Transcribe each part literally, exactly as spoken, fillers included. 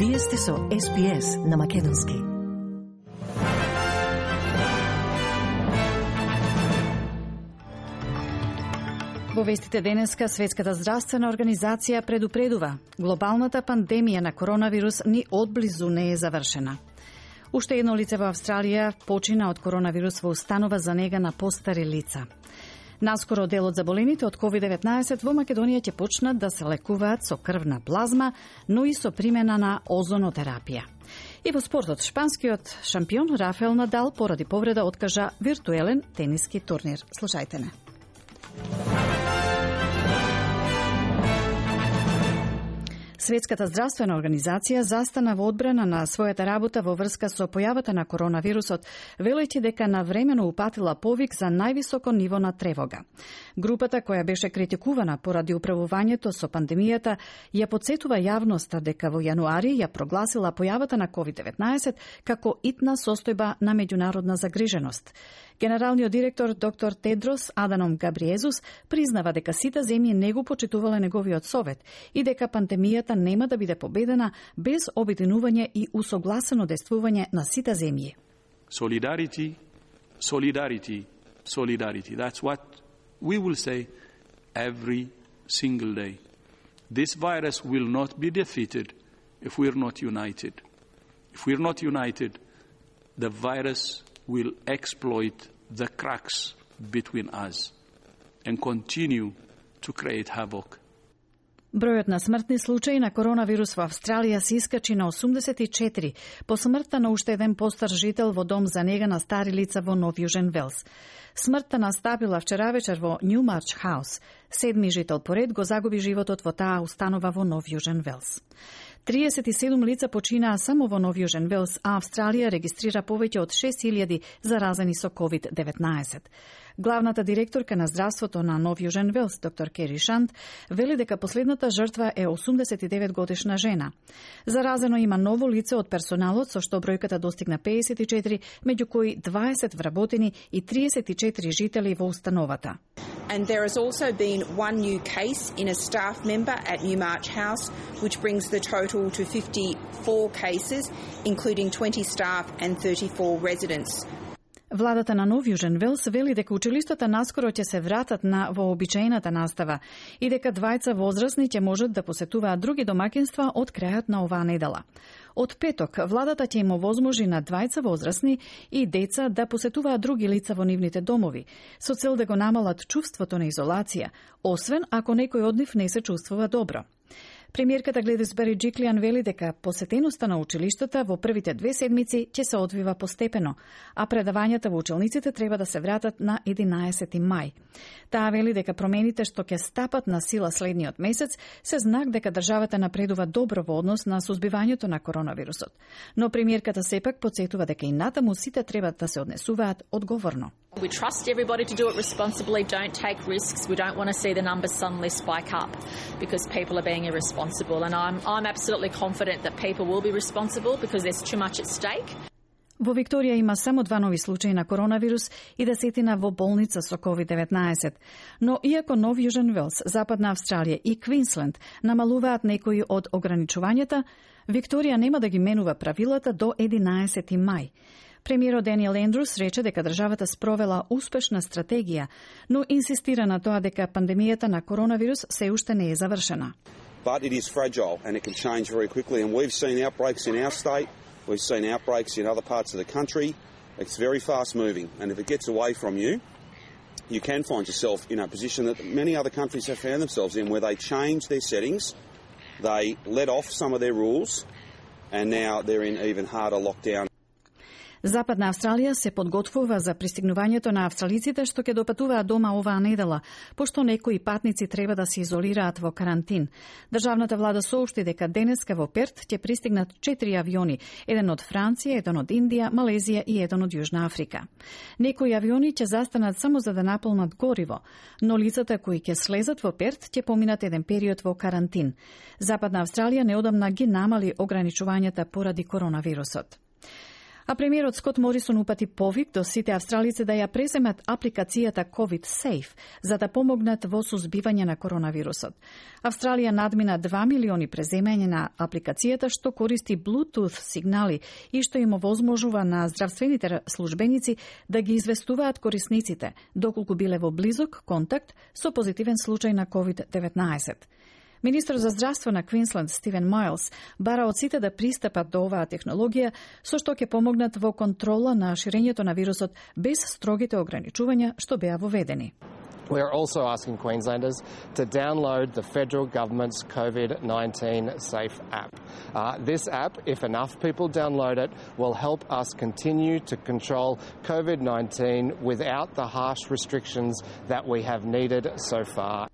Вие сте со Ес Би Ес на Македонски. Во вестите денеска, Светската здравствена организација предупредува: глобалната пандемија на коронавирус ни одблизу не е завршена. Уште едно лице во Австралија почина од коронавирус во установа за нега на постари лица. Наскоро дел од заболените од ковид деветнаесет во Македонија ќе почнат да се лекуваат со крвна плазма, но и со примена на озонотерапија. И во спортот, шпанскиот шампион Рафаел Надал поради повреда откажа виртуелен тениски турнир. Слушајте не. Светската здравствена организација застана во одбрана на својата работа во врска со појавата на коронавирусот, велејќи дека навремено упатила повик за највисоко ниво на тревога. Групата, која беше критикувана поради управувањето со пандемијата, ја подсетува јавноста дека во јануари ја прогласила појавата на ковид деветнаесет како итна состојба на меѓународна загриженост. Генералниот директор доктор Тедрос Аданом Габриезус признава дека сите земји не го почитувале неговиот совет и дека пандемијата нема да биде победена без обединување и усогласено действување на сите земји. Solidarity, solidarity, solidarity. That's what we will say every single day. This virus will not be defeated if we're not united. If we're not united, the virus will exploit the cracks between us and continue to create havoc. Бројот на смртни случаи на коронавирус во Австралија се искачи на осумдесет и четири по смртта на уште еден постар жител во дом за нега на стари лица во Нов Јужен Велс. Смртта настапила вчера вечер во Нјумарч Хаус. Седми жител поред го загуби животот во таа установа во Нов Јужен Велс. триесет и седум лица починаа само во Нов Јужен Велс, а Австралија регистрира повеќе од шест илјади заразени со ковид деветнаесет. Главната директорка на здравството на Нов Јужен Велс, доктор Кери Шант, вели дека последната жртва е осумдесет и девет годишна жена. Заразено има ново лице од персоналот, со што бројката достигна пеесет и четири, меѓу кои дваесет вработени и триесет и четири жители во установата. And there has also been one new case in a staff member at Newmarch House, which brings the total to fifty-four cases, including twenty staff and thirty-four residents. Владата на Нов Јужен Велс вели дека училиштата наскоро ќе се вратат на вообичаената настава и дека двајца возрастни ќе можат да посетуваат други домаќинства од крајот на оваа недела. Од петок, владата ќе им овозможи на двајца возрастни и деца да посетуваат други лица во нивните домови, со цел да го намалат чувството на изолација, освен ако некој од нив не се чувствува добро. Премиерката Гледис Береджиклијан вели дека посетеноста на училиштата во првите две седмици ќе се одвива постепено, а предавањата во училниците треба да се вратат на единаесети мај. Таа вели дека промените што ќе стапат на сила следниот месец се знак дека државата напредува добро во однос на сузбивањето на коронавирусот. Но премиерката сепак потсетува дека и натаму сите треба да се однесуваат одговорно. We trust everybody to do it responsibly, don't take risks. We don't want to see the numbers suddenly spike up because people are being irresponsible. And I'm, I'm absolutely confident that people will be responsible because there's too much at stake. Во Викторија има само два нови случаи на коронавирус и десетина во болница со ковид деветнаесет. Но иако Нов Јужен Велс, Западна Австралија и Квинсленд намалуваат некои од ограничувањата, Викторија нема да ги менува правилата до единаесети мај. Премиерот Даниел Ендрус рече дека државата спровела успешна стратегија, но инсистира на тоа дека пандемијата на коронавирус се уште не е завршена. But it is fragile and it can change very quickly, and we've seen outbreaks in our state, we've seen outbreaks in other parts of the country. It's very fast moving, and if it gets away from you, you can find yourself in a position that many other countries have found themselves in, where they change their settings, they let off some of their rules, and now they're in even harder lockdown. Западна Австралија се подготвува за пристигнувањето на австралиците што ќе допатуваат дома оваа недела, пошто некои патници треба да се изолираат во карантин. Државната влада соопшти дека денеска во Перт ќе пристигнат четири авиони, еден од Франција, еден од Индија, Малезија и еден од Јужна Африка. Некои авиони ќе застанат само за да наполнат гориво, но лицата кои ќе слезат во Перт ќе поминат еден период во карантин. Западна Австралија неодамна ги намали ограничувањата поради коронавирусот. А премиерот Скот Морисон упати повик до сите австралици да ја преземат апликацијата COVID Safe за да помогнат во сузбивање на коронавирусот. Австралија надмина два милиони преземање на апликацијата што користи Bluetooth сигнали и што им овозможува на здравствените службеници да ги известуваат корисниците доколку биле во близок контакт со позитивен случај на COVID деветнаесет. Министр за здравство на Квинсленд Стивен Майлс бара од сите да пристапат до оваа технологија со што ќе помогнат во контрола на ширењето на вирусот без строгите ограничувања што беа воведени. We are also asking Queenslanders to download the federal government's COVID nineteen Safe app. Uh, this app, if enough people download it, will help us continue to control COVID nineteen without the harsh restrictions that we have needed so far.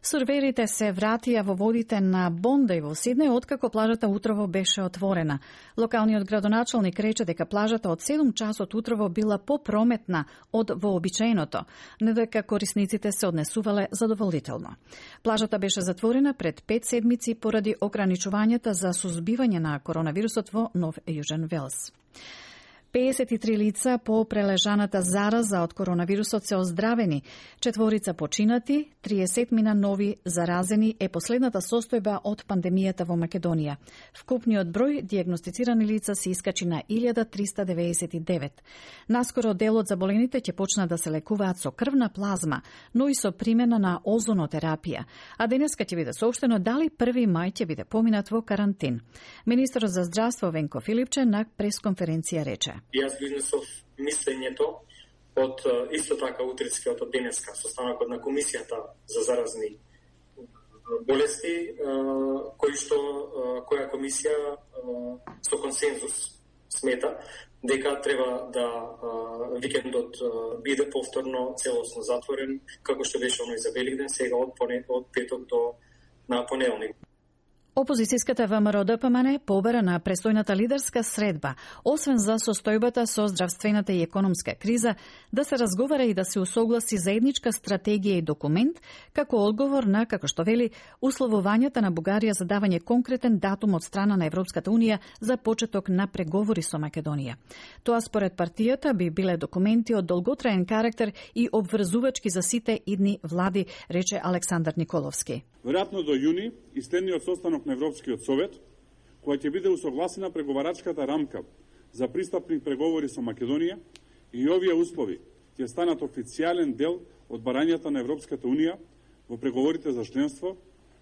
Сурверите се вратија во водите на Бондај во Сиднеј откако плажата утрово беше отворена. Локалниот градоначалник рече дека плажата од седум часот утрово била попрометна од вообичаеното, но дека корисниците се однесувале задоволително. Плажата беше затворена пред пет седмици поради ограничувањата за сузбивање на коронавирусот во Нов Јужен Велс. педесет и три лица по прележаната зараза од коронавирусот се оздравени, четворица починати, триесет мина нови заразени е последната состојба од пандемијата во Македонија. Вкупниот број дијагностицирани лица се искачи на илјада триста деветдесет и девет. Наскоро дел од заболените ќе почнат да се лекуваат со крвна плазма, но и со примена на озонотерапија. А денеска ќе биде соопштено дали први мај ќе биде поминат во карантин. Министерот за здравство Венко Филипче на пресконференција рече: Јас го изнесов мислењето од исто така утринскиот од денеска состанокот на комисијата за заразни болести, кој што која комисија со консензус смета дека треба да викендот биде повторно целосно затворен, како што беше оној за Великден, сега од од петок до на понеделник. Опозицијската ВМРО-ДПМН побара на престојната лидерска средба, освен за состојбата со здравствената и економска криза, да се разговара и да се усогласи заедничка стратегија и документ, како одговор на, како што вели, условувањата на Бугарија за давање конкретен датум од страна на Европската Унија за почеток на преговори со Македонија. Тоа според партијата би биле документи од долготраен карактер и обврзувачки за сите идни влади, рече Александар Николовски. Веројатно до јуни и следниот состанок на Европскиот совет, која ќе биде усогласена преговарачката рамка за пристапни преговори со Македонија, и овие услови ќе станат официјален дел од барањата на Европската Унија во преговорите за членство,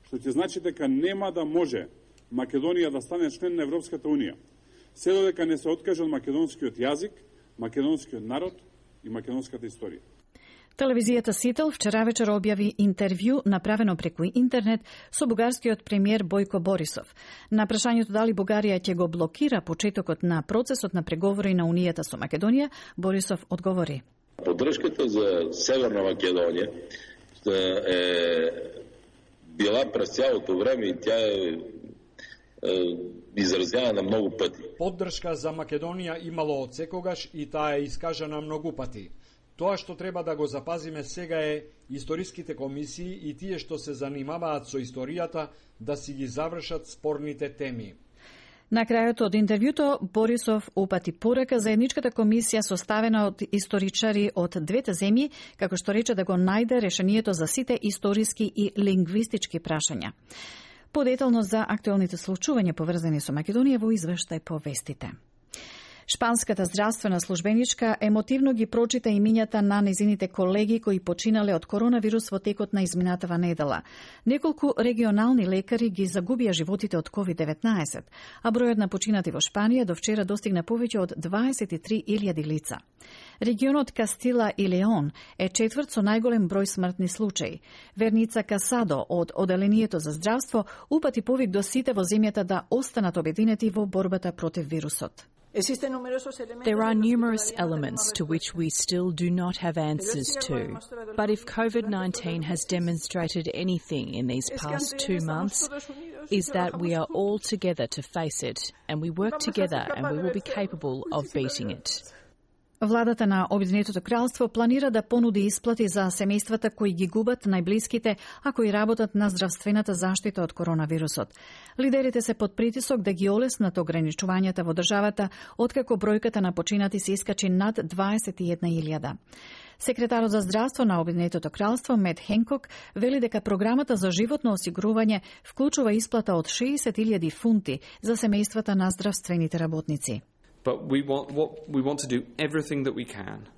што ќе значи дека нема да може Македонија да стане член на Европската Унија, се додека не се откаже од македонскиот јазик, македонскиот народ и македонската историја. Телевизијата Сител вчера вечер објави интервју направено преку интернет со бугарскиот премиер Бојко Борисов. На прашањето дали Бугарија ќе го блокира почетокот на процесот на преговори на Унијата со Македонија, Борисов одговори: Поддршката за Северна Македонија е била през цялото време и тя е изразјана многу пати. Поддршка за Македонија имало од секогаш и таа е искажана многу пати. Тоа што треба да го запазиме сега е историските комисии и тие што се занимаваат со историјата да си ги завршат спорните теми. На крајот од интервјуто Борисов упати порека за едничката комисија составена од историчари од двете земји, како што рече да го најде решението за сите историски и лингвистички прашања. Подетално за актуелните случувања поврзани со Македонија во извештај по вестите. Шпанската здравствена службеничка емотивно ги прочита имињата на незините колеги кои починале од коронавирус во текот на изминатава недела. Неколку регионални лекари ги загубија животите од ковид деветнаесет, а бројот на починати во Шпанија до вчера достигна повеќе од дваесет и три илјади лица. Регионот Кастила и Леон е четврт со најголем број смртни случаи. Верница Касадо од Оделението за здравство упати повик до сите во земјата да останат обединети во борбата против вирусот. There are numerous elements to which we still do not have answers to. But if COVID nineteen has demonstrated anything in these past two months, is that we are all together to face it, and we work together and we will be capable of beating it. Владата на Обединетото кралство планира да понуди исплати за семејствата кои ги губат најблиските, а кои работат на здравствената заштита од коронавирусот. Лидерите се под притисок да ги олеснат ограничувањата во државата, откако бројката на починати се искачи над дваесет и една илјада. Секретарот за здравство на Обединетото кралство Мет Хенкок вели дека програмата за животно осигурување вклучува исплата од шеесет илјади фунти за семејствата на здравствените работници. But we want, what, we want to do everything that we can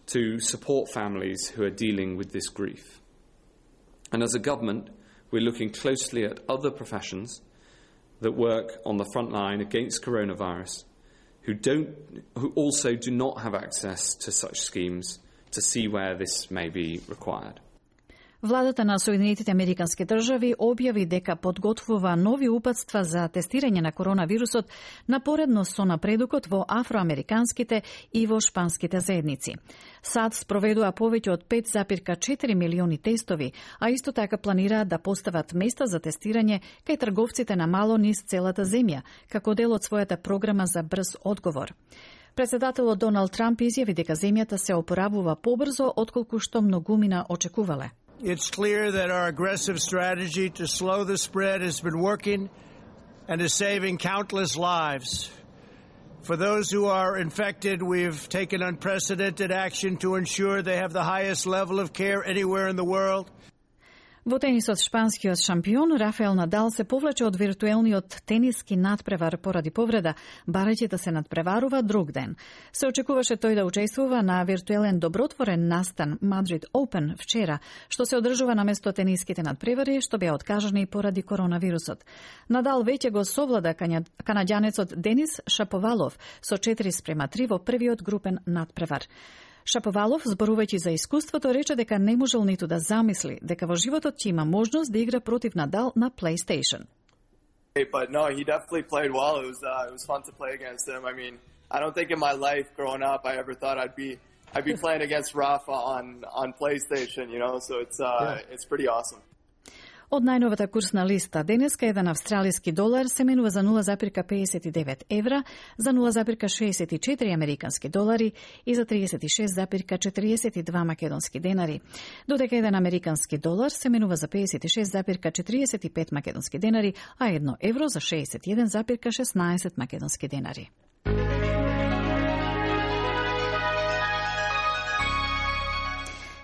to support families who are dealing with this grief. And as a government, we're looking closely at other professions that work on the front line against coronavirus, who don't, who also do not have access to such schemes, to see where this may be required. Владата на Соединетите Американски држави објави дека подготвува нови упатства за тестирање на коронавирусот напоредно со напредукот во афроамериканските и во шпанските заедници. САД спроведува повеќе од пет запирка четири милиони тестови, а исто така планираат да постават места за тестирање кај трговците на мало низ целата земја, како дел од својата програма за брз одговор. Председателот Доналд Трамп изјави дека земјата се опоравува побрзо отколку што многумина очекувале. It's clear that our aggressive strategy to slow the spread has been working and is saving countless lives. For those who are infected, we've taken unprecedented action to ensure they have the highest level of care anywhere in the world. Во тенисот шпанскиот шампион Рафаел Надал се повлече од виртуелниот тениски надпревар поради повреда, барајќи да се надпреварува друг ден. Се очекуваше тој да учествува на виртуелен добротворен настан Мадрид Open вчера, што се одржува наместо тениските надпревари што беа откажани поради коронавирусот. Надал веќе го совлада канаѓанецот Денис Шаповалов со четири спрема три во првиот групен надпревар. Шаповалов, зборувајќи за искуството, рече дека не можел ниту да замисли дека во животот ќе има можност да игра против Надал на PlayStation. But no, he definitely played well. It was uh, it was fun to play against him. I mean, I don't think in my life growing up I ever thought I'd be I'd be playing against Rafa on on PlayStation, you know. So it's uh yeah. it's pretty awesome. Од најновата курсна листа, денеска еден австралиски долар се менува за нула запирка педесет и девет евра, за нула запирка шеесет и четири американски долари и за тридесет и шест запирка четириесет и два македонски денари. Додека еден американски долар се менува за педесет и шест запирка четириесет и пет македонски денари, а едно евро за шеесет и еден запирка шеснаесет македонски денари.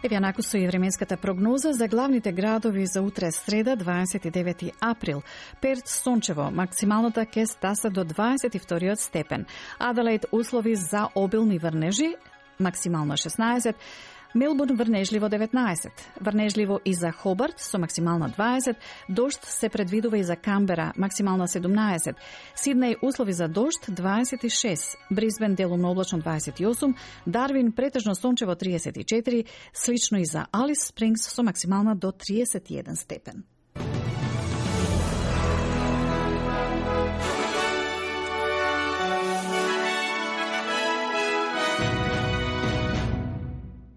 Еве наку со и временската прогноза за главните градови за утре среда, дваесет и девети април. Перт сончево, максималната ќе стаса до дваесет и вториот степен. Аделаид услови за обилни врнежи, максимално шеснаесет. Мелбурн врнежливо деветнаесет. Врнежливо и за Хобарт со максимална дваесет. Дожд се предвидува и за Камбера, максимална седумнаесет. Сиднеј услови за дожд дваесет и шест. Брисбен делумно облачно дваесет и осум. Дарвин претежно сончево триесет и четири. Слично и за Алис Спрингс со максимална до триесет и еден степен.